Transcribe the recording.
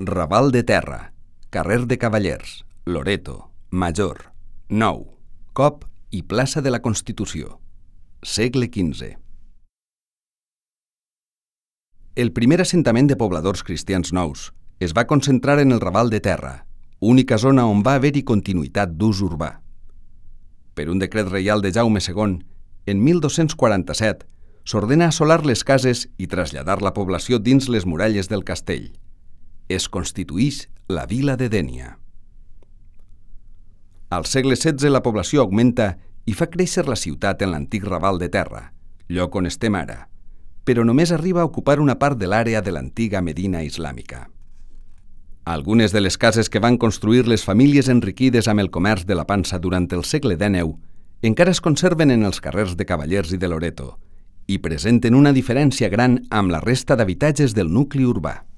Raval de Terra, carrer de Cavallers, Loreto, Major, Nou, Cop i plaça de la Constitució, segle XV. El primer assentament de pobladors cristians nous es va concentrar en el Raval de Terra, única zona on va haver-hi continuïtat d'ús urbà. Per un decret reial de Jaume II, en 1247, s'ordena assolar les cases i traslladar la població dins les muralles del castell. Es constituïx la vila de Dénia. Al segle XVI la població augmenta i fa créixer la ciutat en l'antic Raval de Terra, lloc on estem ara, però només arriba a ocupar una part de l'àrea de l'antiga Medina islàmica. Algunes de les cases que van construir les famílies enriquides amb el comerç de la pansa durant el segle XIX encara es conserven en els carrers de Cavallers i de Loreto i presenten una diferència gran amb la resta d'habitatges del nucli urbà.